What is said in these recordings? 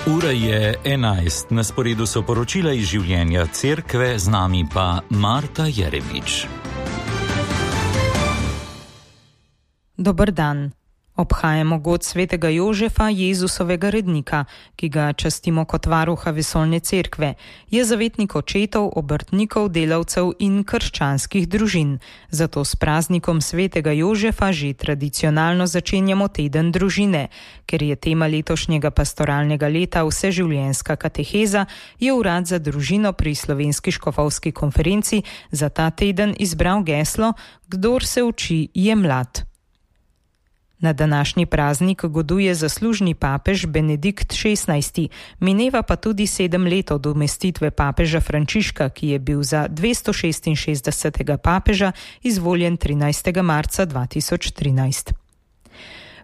Ura je 11, na sporedu so poročila iz življenja cerkve, z nami pa Marta Jerebič. Dober dan. Obhajamo god svetega Jožefa, Jezusovega rednika, ki ga častimo kot varuha vesoljne cerkve. Je zavetnik očetov, obrtnikov, delavcev in krščanskih družin. Zato s praznikom svetega Jožefa že tradicionalno začenjamo teden družine. Ker je tema letošnjega pastoralnega leta vseživljenjska kateheza, je Urad za družino pri Slovenski škofovski konferenci za ta teden izbral geslo: Kdor se uči, je mlad. Na današnji praznik goduje zaslužni papež Benedikt XVI, mineva pa tudi 7 let od umestitve papeža Frančiška, ki je bil za 266. papeža izvoljen 13. marca 2013.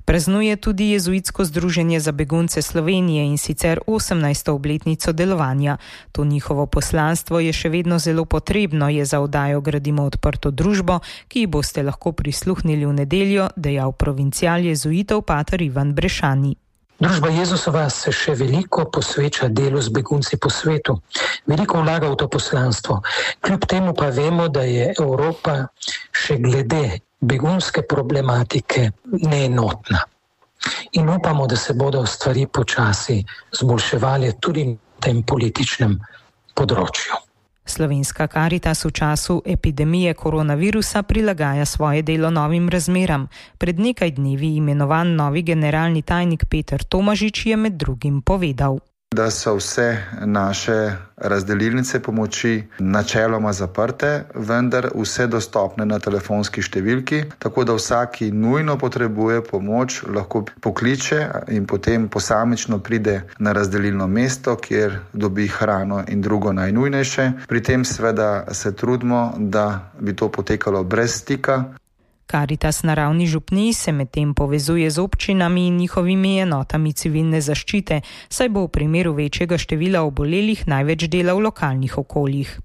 Praznuje tudi Jezuitsko združenje za begunce Slovenije, in sicer 18. obletnico delovanja. To njihovo poslanstvo je še vedno zelo potrebno, je za oddajo Gradimo odprto družbo, ki ji boste lahko prisluhnili v nedeljo, dejal provincial jezuitov pater Ivan Brešani. Družba Jezusova se še veliko posveča delu z begunci po svetu. Veliko vlaga v to poslanstvo. Kljub temu pa vemo, da je Evropa še glede begunske problematike neenotna. In upamo, da se bodo stvari počasi zboljševali tudi na tem političnem področju. Slovenska Karitas v času epidemije koronavirusa prilagaja svoje delo novim razmeram. Pred nekaj dnevi imenovan novi generalni tajnik Peter Tomažič je med drugim povedal, da so vse naše razdelilnice pomoči načeloma zaprte, vendar vse dostopne na telefonski številki, tako da vsak, ki nujno potrebuje pomoč, lahko pokliče in potem posamično pride na razdelilno mesto, kjer dobi hrano in drugo najnujnejše. Pri tem seveda se trudimo, da bi to potekalo brez stika. Karitas na ravni župnij se medtem povezuje z občinami in njihovimi enotami civilne zaščite, saj bo v primeru večjega števila obolelih največ dela v lokalnih okoljih.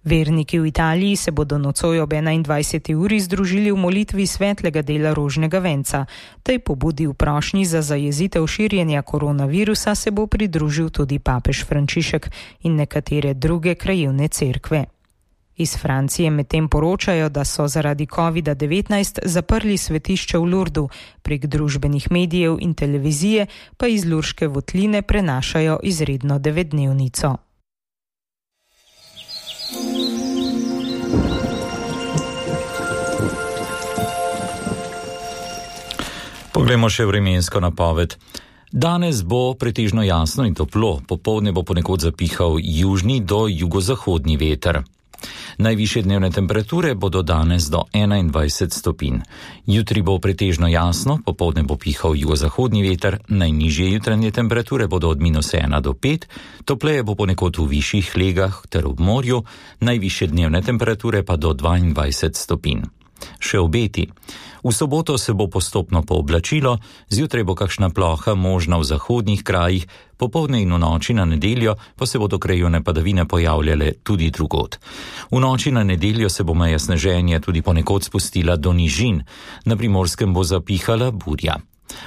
Verniki v Italiji se bodo nocoj ob 21. uri združili v molitvi svetlega dela rožnega venca. Tej pobudi v prošnji za zajezitev širjenja koronavirusa se bo pridružil tudi papež Frančišek in nekatere druge krajevne cerkve. Iz Francije medtem poročajo, da so zaradi COVID-19 zaprli svetišče v Lurdu, prek družbenih medijev in televizije pa iz Lurške votline prenašajo izredno 9-dnevnico. Poglejmo še vremensko napoved. Danes bo pretežno jasno in toplo, popoldne bo ponekod zapihal južni do jugozahodni veter. Najvišje dnevne temperature bodo danes do 21 stopinj. Jutri bo pretežno jasno, popoldne bo pihal jugozahodni veter, najnižje jutranje temperature bodo od -1 do 5, topleje bo ponekod v višjih legah ter ob morju, najvišje dnevne temperature pa do 22 stopinj. Še obeti. V soboto se bo postopno pooblačilo, zjutraj bo kakšna ploha možna v zahodnih krajih, popoldne in v noči na nedeljo pa se bodo krajevne padavine pojavljale tudi drugod. V noči na nedeljo se bo meja sneženja tudi ponekod spustila do nižin, na Primorskem bo zapihala burja.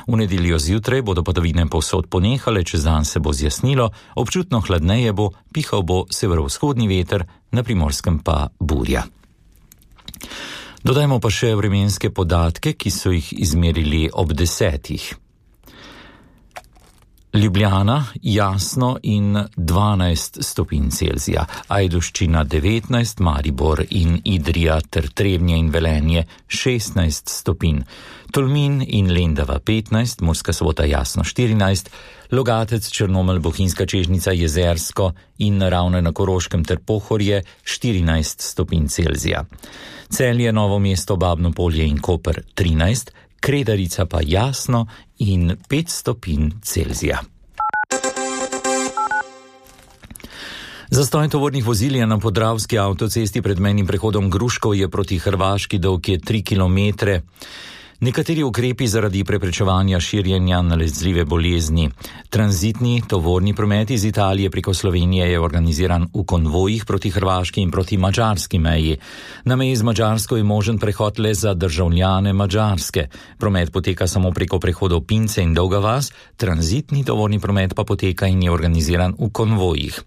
V nedeljo zjutraj bodo padavine povsod ponehale, čez dan se bo zjasnilo, občutno hladneje bo, pihal bo severovzhodni veter, na Primorskem pa burja. Dodajmo pa še vremenske podatke, ki so jih izmerili ob 10. Ljubljana jasno in 12 stopinj Celzija, Ajdovščina 19, Maribor in Idrija ter Trebnje in Velenje 16 stopinj, Tolmin in Lendava 15, Murska Sobota jasno 14, Logatec, Črnomelj, Bohinjska Čežnica, Jezersko in Ravne na Koroškem ter Pohorje 14 stopinj Celzija. Celje, Novo mesto, Babno Polje in Koper 13, Kredarica pa jasno in 5 stopinj Celzija. Zastoj tovornih vozil je na Podravski avtocesti pred mejnim prehodom Gruškov je proti Hrvaški dolg je 3 kilometre. Nekateri ukrepi zaradi preprečevanja širjenja nalezljive bolezni. Tranzitni tovorni promet iz Italije preko Slovenije je organiziran v konvojih proti hrvaški in proti madžarski meji. Na meji z Madžarsko je možen prehod le za državljane Madžarske. Promet poteka samo preko prehodov Pince in Dolga vas, tranzitni tovorni promet pa poteka in je organiziran v konvojih.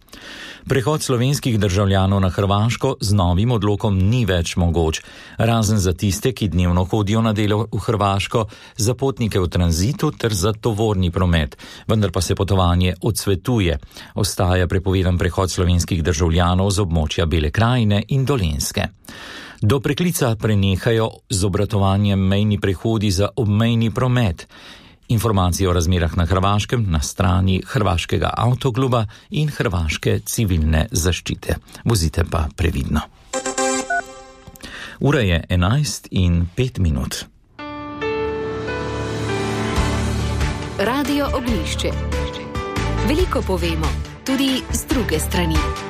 Prehod slovenskih državljanov na Hrvaško z novim odlokom ni več mogoč, razen za tiste, ki dnevno hodijo na delo v Hrvaško, za potnike v tranzitu ter za tovorni promet, vendar pa se potovanje odsvetuje. Ostaja prepovedan prehod slovenskih državljanov z območja Bele krajine in Dolenjske. Do preklica prenehajo z obratovanjem mejni prehodi za obmejni promet. Informacije o razmerah na Hrvaškem na strani Hrvaškega avtokluba in Hrvaške civilne zaščite. Vozite pa previdno. Ura je 11:05. Radio Oglišče. Veliko povemo, tudi z druge strani.